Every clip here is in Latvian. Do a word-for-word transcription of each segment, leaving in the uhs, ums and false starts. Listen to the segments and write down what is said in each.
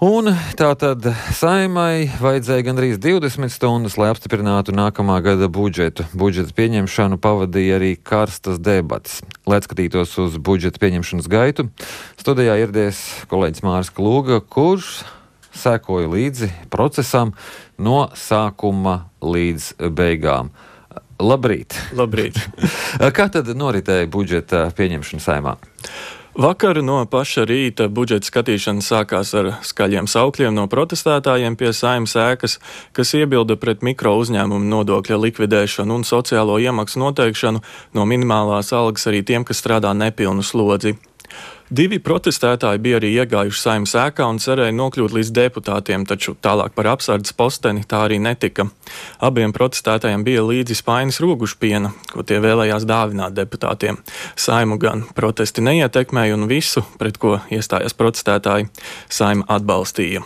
Un tātad Saeimai vajadzēja gandrīz divdesmit stundas, lai apstiprinātu nākamā gada budžetu. Budžeta pieņemšanu pavadīja arī karstas debates. Lai skatītos uz budžeta pieņemšanas gaitu, studijā ieradies kolēģis Māris Klūga, kurš sekoja līdzi procesam no sākuma līdz beigām. Labrīt! Labrīt! Kā tad noritēja budžeta pieņemšana Saeimā? Vakar no paša rīta budžeta skatīšana sākās ar skaļiem saukļiem no protestētājiem pie Saeimas ēkas, kas iebilda pret mikro uzņēmumu nodokļa likvidēšanu un sociālo iemaksu noteikšanu no minimālās algas arī tiem, kas strādā nepilnu slodzi. Divi protestētāji bija arī iegājuši Saeimas ēkā un cerēja nokļūt līdz deputātiem, taču tālāk par apsardzes posteni tā arī netika. Abiem protestētājiem bija līdzi spainis rogušpiena, ko tie vēlējās dāvināt deputātiem. Saeimu gan protesti neietekmēja un visu, pret ko iestājās protestētāji, Saeima atbalstīja.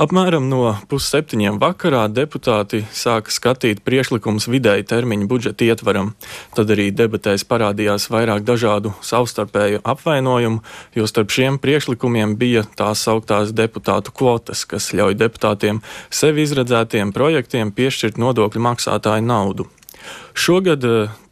Apmēram no pusseptiņiem vakarā deputāti sāka skatīt priekšlikumus vidēji termiņu budžeta ietvaram. Tad arī debatēs parādījās vairāk dažādu savstarpēju apvainojumu, jo starp šiem priekšlikumiem bija tās sauktās deputātu kvotas, kas ļauj deputātiem sevi izredzētiem projektiem piešķirt nodokļu maksātāju naudu. Šogad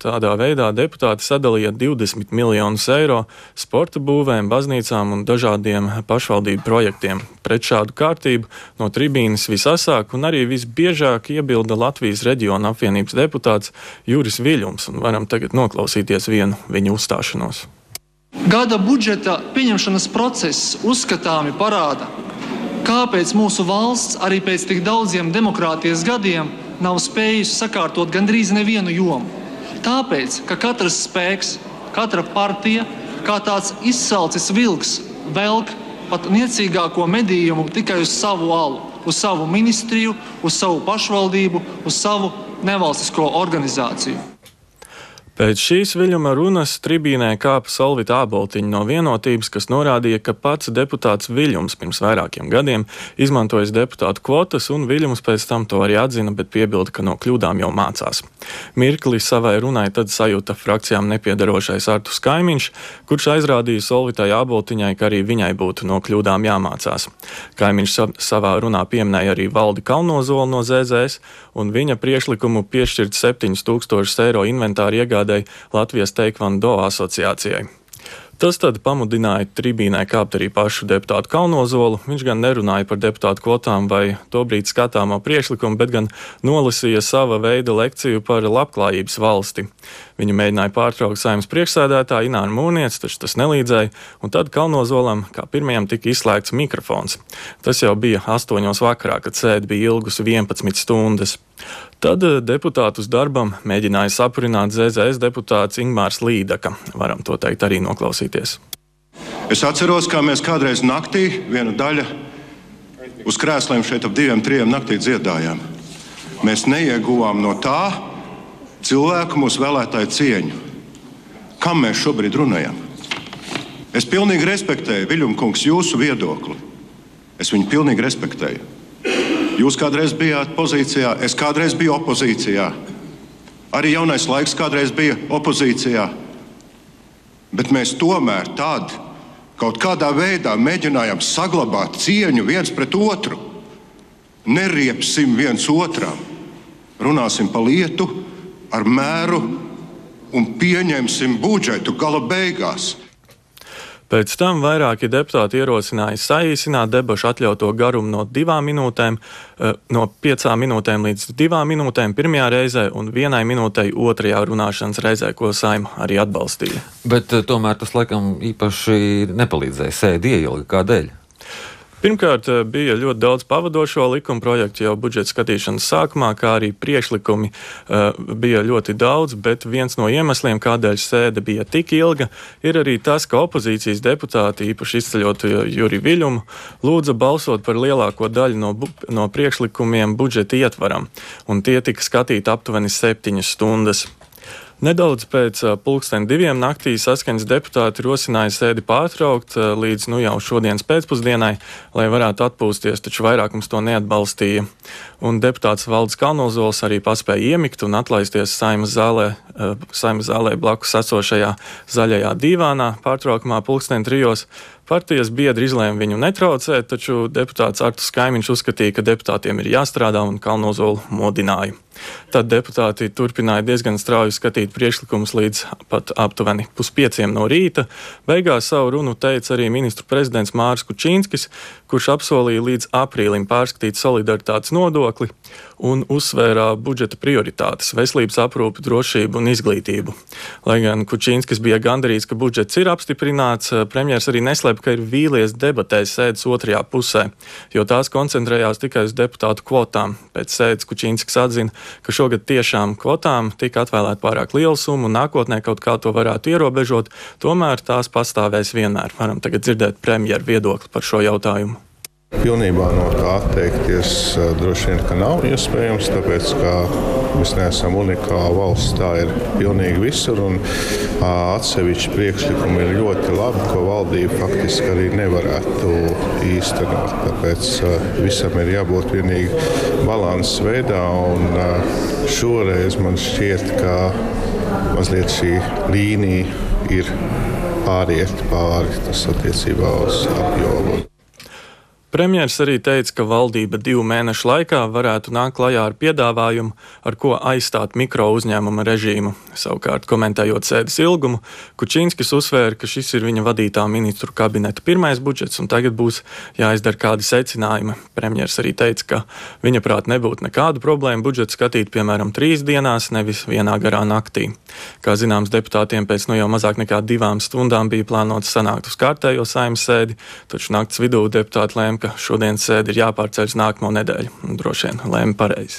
tādā veidā deputāti sadalīja divdesmit miljonus eiro sporta būvēm, baznīcām un dažādiem pašvaldību projektiem. Pret šādu kārtību no tribīnes visasāk un arī visbiežāk iebilda Latvijas reģiona apvienības deputāts Juris Viļums, un varam tagad noklausīties vienu viņu uzstāšanos. Gada budžeta pieņemšanas process uzskatāmi parāda, kāpēc mūsu valsts arī pēc tik daudziem demokrātijas gadiem nav spējusi sakārtot gandrīz nevienu jomu. Tāpēc, ka katrs spēks, katra partija, kā tāds izsalcis vilks, velk pat niecīgāko medījumu tikai uz savu alu, uz savu ministriju, uz savu pašvaldību, uz savu nevalstisko organizāciju. Pēc šīs Viļuma runas tribīnē kāpa Solvita Āboltiņa no Vienotības, kas norādīja, ka pats deputāts Viļums pirms vairākiem gadiem izmantojis deputātu kvotas, un Viļums pēc tam to arī atzina, bet piebilda, ka no kļūdām jau mācās. Mirkli savai runai tad sajūta frakcijām nepiedarošais Arturs Kaimiņš, kurš aizrādīja Solvitai Āboltiņai, ka arī viņai būtu no kļūdām jāmācās. Kaimiņš savā runā pieminēja arī Valdi Kalnozolu no Z Z S, un viņa priekšlikumu piešķirt septiņus tūkstošus eiro inventāru iegādājumu Latvijas Taekwondo asociācijai. Tas tad pamudināja tribīnē kāpt arī pašu deputātu Kalnozolu. Viņš gan nerunāja par deputātu kvotām vai tobrīd skatāmo priekšlikumu, bet gan nolasīja sava veida lekciju par labklājības valsti. Viņu mēģināja pārtraukt Saeimas priekšsēdētāja Ināra Mūrniece, taču tas nelīdzēja, un tad Kalnozolam kā pirmajam tika izslēgts mikrofons. Tas jau bija astoņos vakarā, kad sēde bija ilgusi vienpadsmit stundas. Tad deputātus darbam mēģināja sapurināt Z Z S deputāts Ingmārs Līdaka. Varam to teikt arī noklausīties. Es atceros, kā mēs kādreiz naktī, viena daļa, uz krēsliem šeit ap diviem, trijiem naktī dziedājām. Mēs neieguvām no tā cilvēku mūsu vēlētāju cieņu. Kam mēs šobrīd runājam? Es pilnīgi respektēju, Viļumkungs, jūsu viedokli. Es viņu pilnīgi respektēju. Jūs kādreiz bijāt pozīcijā, es kādreiz biju opozīcijā. Arī Jaunais laiks kādreiz bija opozīcijā. Bet mēs tomēr tad kaut kādā veidā mēģinājām saglabāt cieņu viens pret otru. Neriepsim viens otram. Runāsim pa lietu, ar mēru un pieņemsim budžetu gala beigās. Pēc tam vairāki deputāti ierosināja saīsināt debašu atļauto garumu no divām minūtēm, no piecām minūtēm līdz divām minūtēm pirmajā reizē un vienai minūtei otrajā runāšanas reizē, ko Saeima arī atbalstīja. Bet tomēr tas laikam īpaši nepalīdzēja, sēdi ieilga. Kādēļ? Pirmkārt, bija ļoti daudz pavadošo likuma projektu jau budžeta skatīšanas sākumā, kā arī priekšlikumi uh, bija ļoti daudz, bet viens no iemesliem, kādēļ sēde bija tik ilga, ir arī tas, ka opozīcijas deputāti, īpaši izceļot Juri Viļumu, lūdza balsot par lielāko daļu no, bu- no priekšlikumiem budžeta ietvaram, un tie tika skatīti aptuveni septiņas stundas. Nedaudz pēc pulksten diviem naktī Saskaņas deputāti rosināja sēdi pārtraukt līdz nu jau šodienas pēcpusdienai, lai varētu atpūsties, taču vairākums to neatbalstīja. Un deputāts Valdis Kalnozols arī paspēja iemigt un atlaisties Saeimas zālē, Saeimas zālē blakus esošajā zaļajā dīvānā pārtraukumā pulksten trijos. Partijas biedri izlēma viņu netraucēt, taču deputāts Arturs Kaimiņš uzskatīja, ka deputātiem ir jāstrādā un Kalnozolu modināja. Tad deputāti turpināja diezgan strauji skatīt priekšlikumus līdz pat aptuveni puspieciem no rīta. Beigās savu runu teica arī ministru prezidents Māris Kučīnskis, kurš apsolīja līdz aprīlim pārskatīt solidaritātes nodokli un uzsvērā budžeta prioritātes - veselības aprūpi, drošību un izglītību. Lai gan Kučīnskis bija gandarīts, ka budžets ir apstiprināts, premjers arī neslēpa, ka ir vīlies debatēs sēdes otrajā pusē, jo tās koncentrējās tikai uz deputātu kvotām. Pēc sēdes Kučīnskis atzina, ka šogad tiešām kvotām tika atvēlēta pārāk liela summa un nākotnē kaut kā to varētu ierobežot, tomēr tās pastāvēs vienmēr. Varam tagad dzirdēt premjeru viedokli par šo jautājumu. Pilnībā no tā atteikties droši vien, ka nav iespējams, tāpēc, ka mēs neesam unikāla valsts, tā ir pilnīgi visur, un atsevišķi priekšlikumi ir ļoti labi, ko valdība faktiski arī nevarētu īstenot. Tāpēc visam ir jābūt vienīgi balanses veidā, un šoreiz man šķiet, ka mazliet šī līnija ir pāriet pāri, tas attiecībā uz apjomu. Premjers arī teica, ka valdība divu mēnešu laikā varētu nākt klajā ar piedāvājumu, ar ko aizstāt mikro uzņēmuma režīmu. Savukārt, komentējot sēdes ilgumu, Kučīnskis uzsvēra, ka šis ir viņa vadītā ministru kabineta pirmais budžets un tagad būs jāizdara kādi secinājumi. Premjers arī teica, ka viņa prāt nebūtu nekādu problēmu budžetu skatīt, piemēram, trīs dienās, nevis vienā garā naktī. Kā zināms, deputātiem pēc nu jau mazāk nekā divām stundām bija plānots sanākt uz kārtējo Saeimas sēdi, taču nakts vidū deputāti lēma, ka šodienas sēde ir jāpārceļ uz nākamo nedēļu. Droši vien lēma pareizi.